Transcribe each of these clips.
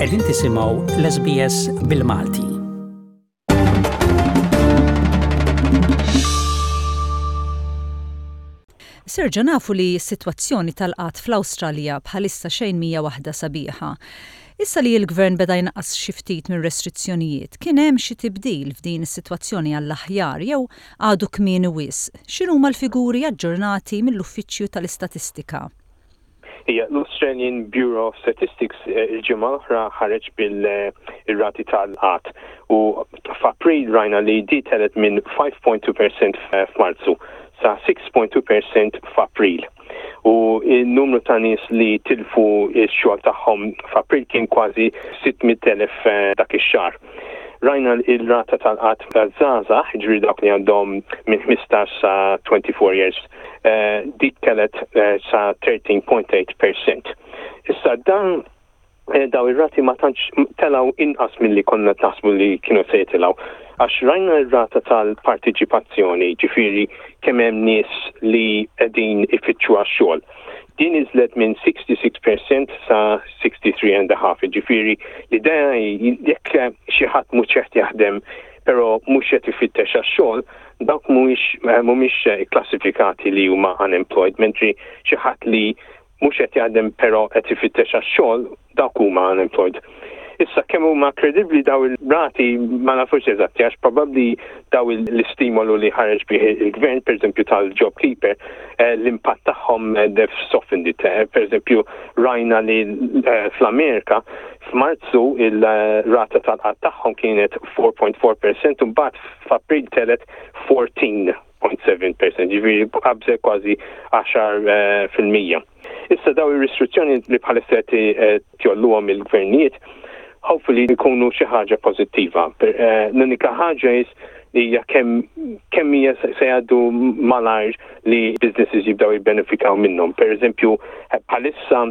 Qegħdin tisimgħu l-SBS bil-Malti. Sergio nafu li s-sitwazzjoni tal-qgħad fl-Awstralja bħalissa xejn mhija waħda sabiħa. Issa li l-gvern beda jnaqqas xi ftit mir-restrizzjonijiet, kien hemm xi tibdil f'din is-sitwazzjoni għall-aħjar jew għadu kmieni wisq? X'inhuma l-figuri aġġornati mill-Uffiċċju tal-Istatistika? Ija, l-Australian Bureau of Statistics il-ġimgħa l-oħra ħareġ bil-rati tal-qgħad u f'April rajna li di telgħet minn 5.2% f'Marzu sa 6.2% f'April. U n-numru ta' nies li tilfu x-xogħol tagħhom f'April kien kważi 600,000 dak ix-xahar. Rajna il-rata tal-qgħad taż-żgħażagħ, jiġifieri dawk li għandhom minn 15 sa 24 years, dik telgħet sa 13.8 percent. Issa dan daw ir-rati ma tantx telgħu inqas milli konna qed naħsbu li kienu se jitilgħu. Għax rajna r-rata tal-partiċipazzjoni, ġifieri kemm hemm nies li qegħdin ifittxu għax-xogħol. Din niżlet minn 66 percent sa 63 and a half, ġifieri l-idea hi jekk xi ħadd mhux qed jaħdem però mhux qed ifittex għax-xogħol, dawk mhuwiex mhumiex ikklassifikati li huma unemployed, mentri xi ħadd li mhux qed jaħdem però qed ifittex għax-xogħol, dawk huma unemployed. Issa kemm huma kredibbli daw il-rati ma nafux eżatti għax probabbli daw l-istimolu li ħareġ bih il-gvern, pereżempju tal-JobKeeper, eh, l-impatt tagħhom eh, they've softened it. Eh, pereżempju rajna li fl-Amerika f'Marzu il-rata tal-qatt tagħhom kienet 4.4% u mbagħad f'April telgħet 14.7%, ġifieri qabżet kważi 10%. Issa daw ir-restrizzjoni li bħalissa qed eh, jolluhom il-gvernijiet, hopefully jkunu xi ħaġa pożittiva. Eh, l-unika ħaġa is hija kemm kemm hija se jgħaddu malajr li businesses jibdew jibbenefikaw minnhom. Per eżempju, bħalissa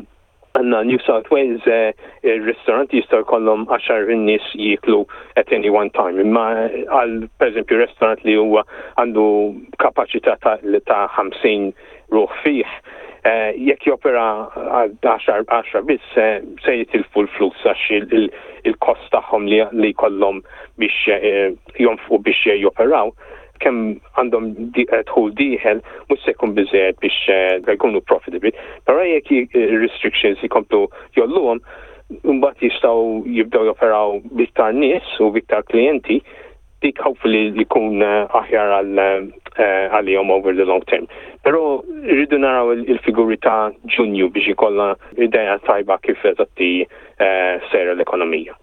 Għandna New South Wales eh, il-ristoranti jistgħu jkollhom għaxar in-nies jieklu at any one time. Imma eh, għal pereżempju restaurant li huwa għandu kapaċità ta' 50 ruħ fih, eh, jekk jopera għal 10 biss se jitilfu l-flus għax il-kost tagħhom li jkollhom biex jonfqu biex joperaw kemm għandhom eh, dħul dieħel mhux se jkun biżejjed biex eh, jkunu profitable. Però jekk restrictions jkomplu jolluhom, mbagħad jistgħu jibdew joperaw biktar nies u biktar klijenti, dik hopefully jkun eh, aħjar għalihom over the long term. Però rridu naraw il-figuri ta' Ġunju biex ikollna idea tajba kif eżatti sejra l-ekonomija.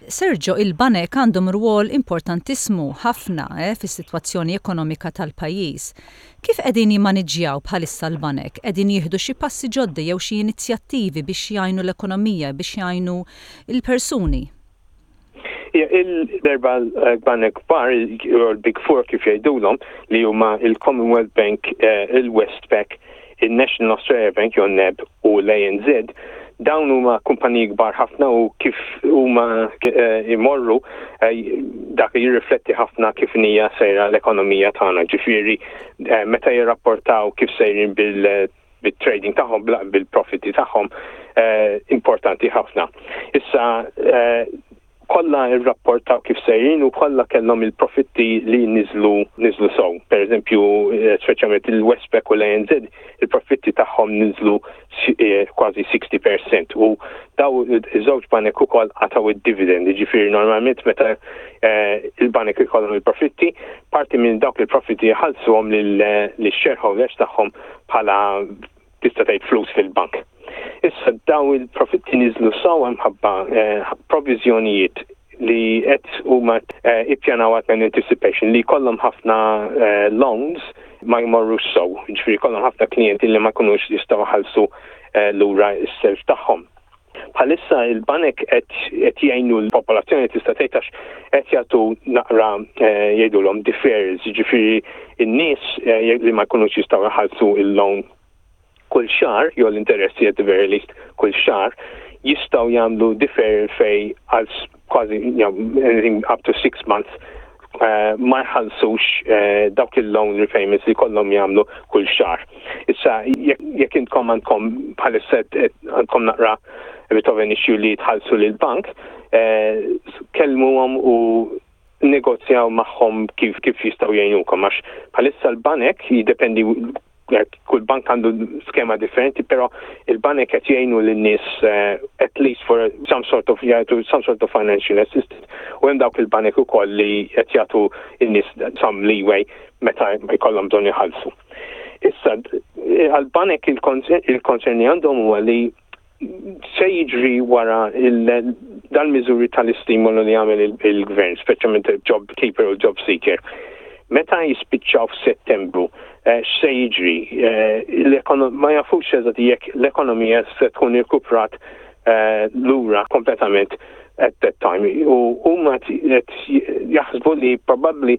Sergio, il-banek għandhom rwol importantissmu ħafna eh, fis-sitwazzjoni ekonomika tal-pajjiż. Kif qegħdin jimmaniġġjaw bħalissa l-banek? Qegħdin jieħdu xi passi ġodda jew xi inizjattivi biex jgħinu l-ekonomija, biex jgħinu l-persuni? Il-erba' banek kbar, il-Big Four kif jgħidulhom, li huma il-Commonwealth Bank, eh, il-Westpac, il-National Australia Bank jew NAB u l-ANZ, dawn huma kumpaniji kbar ħafna u kif huma eh, imorru eh, dak jirrifletti ħafna kif hija sejra l-ekonomija tagħna. Ġifieri eh, meta jirrapportaw kif sejrin bil bit-trading tagħhom bil-profitti tagħhom importanti ħafna. Issa kollha rrapportaw kif sejrin u kollha kellhom il-profitti li niżlu niżlu sew. Per eżempju, eh, speċjalment il-Westpac u l-ANZ, il-profitti tagħhom niżlu eh, kważi 60% u daw iż-żewġ banek ukoll qatgħu id-dividend, jiġifieri normalment meta eh, il-banek ikollhom il-profitti, parti minn dawk il-profitti jħallsuhom lill-shareholders tagħhom bħala tista' tgħid flus fil-bank. Issa daw il-profitti niżlu sewwa mħabba eh, proviżjonijiet li qed huma eh, ippjanaw għat anticipation li jkollhom ħafna eh, loans ma jmorrux sew, ġifieri jkollhom ħafna klijenti li ma jkunux jistgħu ħallsu lura s-self tagħhom. Bħalissa il-banek qed jgħinu l-popolazzjoni tista' tgħid għax qed jagħtu naqra eh, jgħidulhom deferrals, jiġifieri n-nies eh, li ma jkunux jistgħu jħallsu il-loan kull xahar, jew l-interessi at the very least kull xahar, jistgħu jagħmlu deferral fej għal kważi anything up to six months. ma jħallsux dawk il-loan repayments li jkollhom jagħmlu kull xahar. Issa jekk intkom għandkom bħalissa għandkom naqra a bit of an issue li tħallsu lill-bank, kellmuhom u negozjaw magħhom kif kif jistgħu jgħinukom għax bħalissa l-banek jiddependi kull bank għandu skema differenti, però il-banek qed jgħinu lin-nies eh, at least for some sort of jagħtu some sort of financial assistance. U hemm dawk il-banek ukoll li qed jagħtu in-nies some leeway meta jkollhom bżonn iħallsu. Issa, għal-banek il-konserni għandhom huwa li se jiġri wara dal-miżuri tal-istimolu li għamel il-gvern, speċjalment il-job keeper u job seeker. Meta jispiċċaw f'Settembru, eh, x'se jiġri? Eh, ma jafux eżatt jekk l-ekonomija se tkun irkuprat eh, lura kompletament at that time. U huma qed jaħsbu li probabbli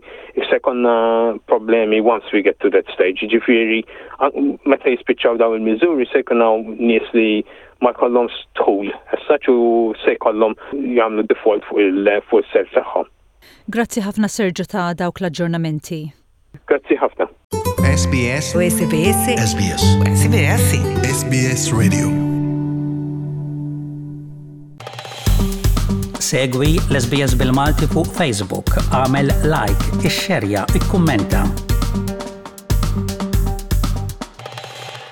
se jkollna problemi once we get to that stage. Ġifieri meta jispiċċaw dawn il-miżuri se jkun hawn nies li ma jkollhomx dħul as such u se jkollhom jagħmlu default fuq il-self tagħhom. Grazzi ħafna Sergio ta' dawk l-aġġornamenti. Grazzi ħafna. SBS SBS SBS SBS SBS Radio Segwi l-SBS bil-Malti fuq Facebook, għamel like, ixxerja, ikkummenta.